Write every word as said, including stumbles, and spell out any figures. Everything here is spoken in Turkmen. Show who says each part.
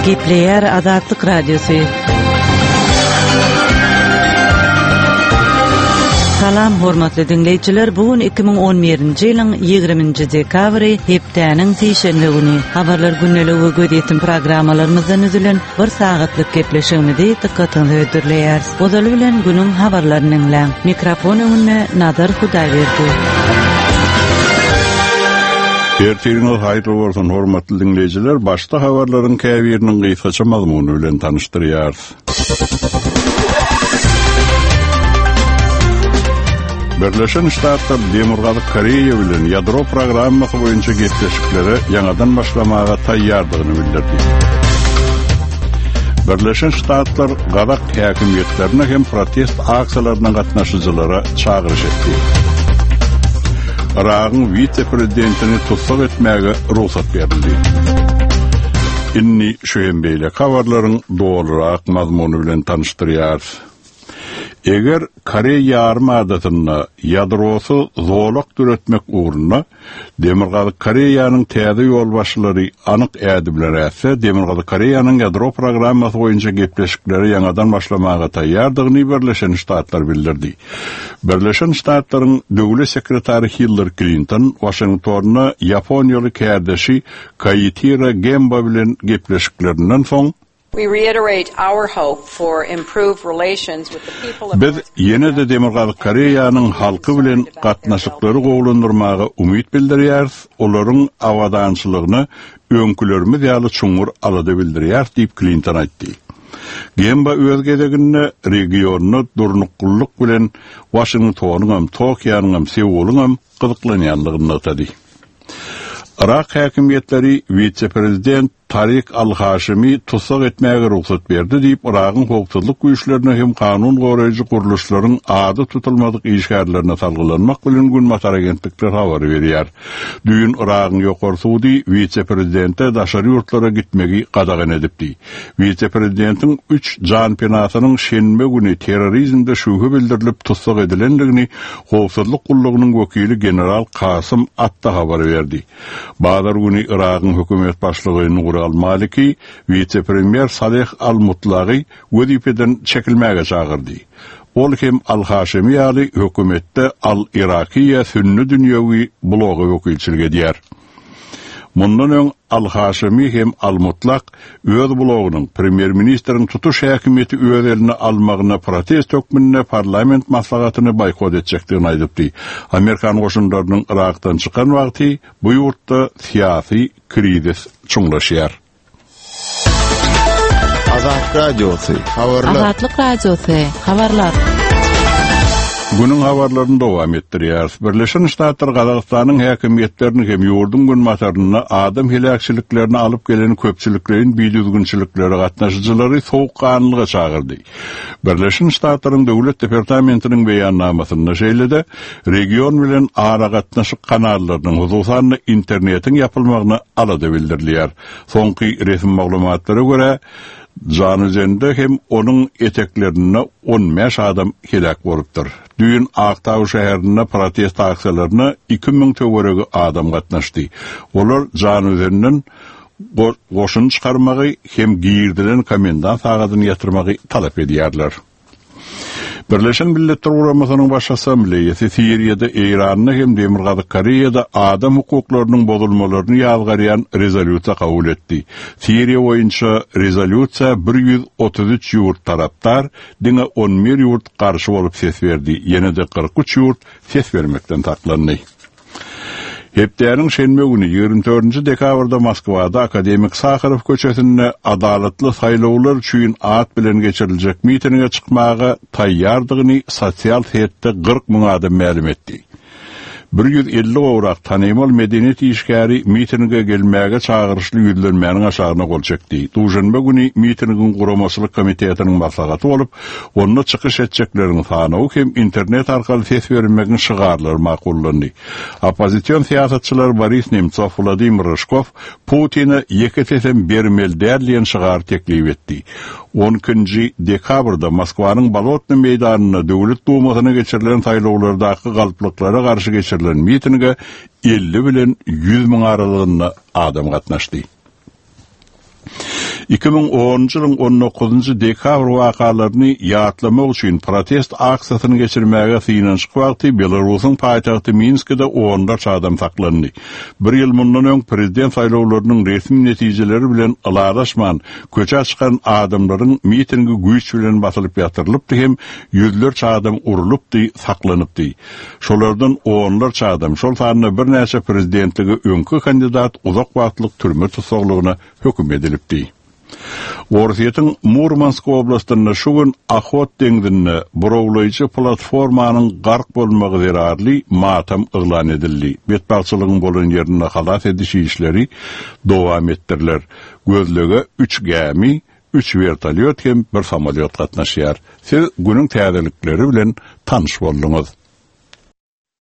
Speaker 1: Gepleýär Azatlyk Radiosy. Salam hormatly diňleýjiler, bu gün iki müň on birinji ýylyň ýigriminji dekabry, hepdäniň sişenbe güni. Habarlar gündeligi we gözýetim programmalarymyzdan üzülen bir sagatlyk gepleşigimizi dykgatyňyza hödürleýäris. Ozaly bilen günüň habarlaryny diňläň. Mikrofon öňünde Nazar Hudaýberdi.
Speaker 2: Ertiriňiz haýyrly bolsun hormatly diňleýjiler. Başda habarlaryň käbiriniň gysgaça mazmuny bilen tanyşdyrýarys. Birleşen Ştatlar Demirgazyk Koreýa bilen ýadro programmasy boýunça gepleşiklere ýaňadan başlamaga taýýardygyny bildirdi. Birleşen Ştatlar Gazak häkimiýetlerine hem protest aksiýalaryna gatnaşyjylara çagyryş etdi. Yragyň wise-prezidentini tussag etmäge rugsat berildi. Indi şu hem beýle habarlaryň dolurak mazmuny bilen tanyşdyrýarys. Eger Koreýa ýarym adasynda ýadrosy zolak döretmek ugrunda Demirgazyk Koreýanyň täze ýolbaşçylary anyk ädimler ätse, Demirgazyk Koreýanyň ýadro programmasy boýunça gepleşikleri ýaňadan başlamaga taýýardygyny Birleşen Ştatlar bildirdi. Birleşen Ştatlaryň döwlet sekretary Hillary Clinton Washingtonda Ýaponiýaly kärdeşi Kaitira Gemba bilen gepleşiklerinden soň
Speaker 3: We reiterate our hope for improved relations with the people of
Speaker 2: Biz
Speaker 3: North
Speaker 2: ýene-de Demirgazyk Koreýanyň halky bilen gatnaşyklary gowulandyrmaga umyt bildirýäris, olaryň abadançylygyna öňkülerimiz ýaly çuňňur alada bildirýäris diýip Clinton aýtdy. Gemba öz gezeginde regionda durnuklylyk bilen Washingtonyň hem, Tokionyň hem, Seulyň hem gyzyklanýanlygyny nygtady. Irak häkimiýetleri wise-prezident Tarik Al-Haşimi tussag etmäge rugsat berdi diýip, Iragyň howpsuzlyk güýçlerine hem kanun goraýjy gurluşlaryň ady tutulmadyk işgärlerine salgylanmak bilen Günbatar agentlikler habar berýär. Düýn Iragyň ýokary sudy wise-prezidente daşary ýurtlara gitmegi gadagan edipdi. Wise-prezidentiň üç jan penasynyň şenbe güni terrorizmde şübhe bildirilip tussag edilendigini howpsuzlyk gullugynyň wekili general Kasym Atta habar berdi. Bazar güni Iragyň hökümet başlygy Nuri Al-Maliki wise-premýer Saleh Al-Mutlagy wezipeden çekilmäge çagyrdy. Ol hem Al-Haşimi ýaly hökümetde Al-Irakiýa sünni dünýewi blogy wekilçilik edýär. Mundan öň Al-Haşimi hem Al-Mutlak öz blogynyň premýer-ministriň tutuş häkimiýeti öz eline almagyna protest hökmünde parlament maslahatyny boýkot etjekdigini aýdypdy. Amerikan goşunlarynyň Irakdan çykan wagty bu ýurtda syýasy krizis çuňlaşýar.
Speaker 4: Azat Radiosy, habarlar.
Speaker 5: Azatlyk Radiosy, habarlar.
Speaker 2: Günüň habarlaryny dowam etdirýäris. Birleşen Ştatlar Gazagystanyň häkimiýetlerini hem ýurduň günbatarynda adam heläkçiliklerini alyp gelen köpçülikleýin bidüzgünçiliklere gatnaşyjylary soğukganlyga çagyrdy. Birleşen Ştatlaryň Döwlet Departamentiniň beýannamasynda şeýle-de region bilen aragatnaşyk kanallarynyň, hususan-da internetiň ýapylmagyna alada bildirilýär. Soňky resmi maglumatlara görä, Januzende hem onuň eteklerinde on bäş adam heläk bolupdyr. Düýn Aktaw şäherinde protest aksiýalaryna iki müň töweregi adam gatnaşdy. Olar Januzenden go-, goşun çykarmagy hem girdilen komendant sagadyny ýatyrmagy talap edýärler. Birleşen Milletler Guramasynyň Baş Assambleýasy Siriýada, Eýranda hem Demirgazyk Koreýada adam hukuklarynyň bozulmalaryny ýazgarýan rezolýusiýa kabul etdi. Siriýa boýunça rezolýusiýa bir ýüz otuz üç ýurt tarapdar, diňe on bir ýurt garşy bolup ses berdi. Ýene-de kyrk üç ýurt ses bermekden saklandy. Hepdäniň şenbe güni ýigrimi dördünji dekabrda Moskwada Akademik Saharow köçesinde adalatly saýlawlar üçin at bilen geçiriljek mitinge çykmaga taýýardygyny sosial setde kyrk müň adam mälim etdi. Bir ýüz elli gowrak tanymal medeniýet işgäri mitinge gelmäge çagyryşly ýüzlenmäniň aşagyna gol çekdi. Duşenbe güni mitingiň guramaçylyk komitetiniň maslahaty bolup, onda çykyş etjekleriň sanawy hem internet arkaly ses bermegiň şygarlary makullandy. Oppozision syýasatçylar Boris Nemtsov, Vladimir Ryşkov Putin'e ýeke sesem bermeli däl diýen şygar teklip etdi. on ikinji dekabrda Moskwanyň Bolotny meýdanynda Döwlet Dumasyna geçirilen saýlawlardaky galplyklara garşy geçirilen mitinge elli bilen ýüz müň aralygynda adam gatnaşdy. iki müň onunjy ýylyň on dokuzynjy dekabr wakalaryny ýatlamak üçin protest aksiýasyny geçirmäge synanyşyk wagty Belarusyň paýtagty Minskide onlarça adam saklandy. Bir ýyl mundan öň prezident saýlawlarynyň resmi netijeleri bilen ylalaşman köçä çykan adamlaryň mitingi güýç bilen basylyp ýatyrylypdy hem ýüzlerçe adam urulypdy, saklanypdy. Şolardan onlarça adam, şol sanda birnäçe prezidentlige öňki kandidat uzak wagtlyk türme tussaglygyna höküm edilipdi. Orsýetiň Murmansk oblastynda şu gün Ahot deňzinde burawlaýjy platformanyň gark bolmagy zerarly matam yglan edildi. Betbagtçylygyň bolan ýerinde halas ediş işleri dowam etdiriler. Gözlege üç gämi, üç vertolyot hem bir samolýot gatnaşýar. Siz günüň täzelikleri bilen tanyş bolduňyz.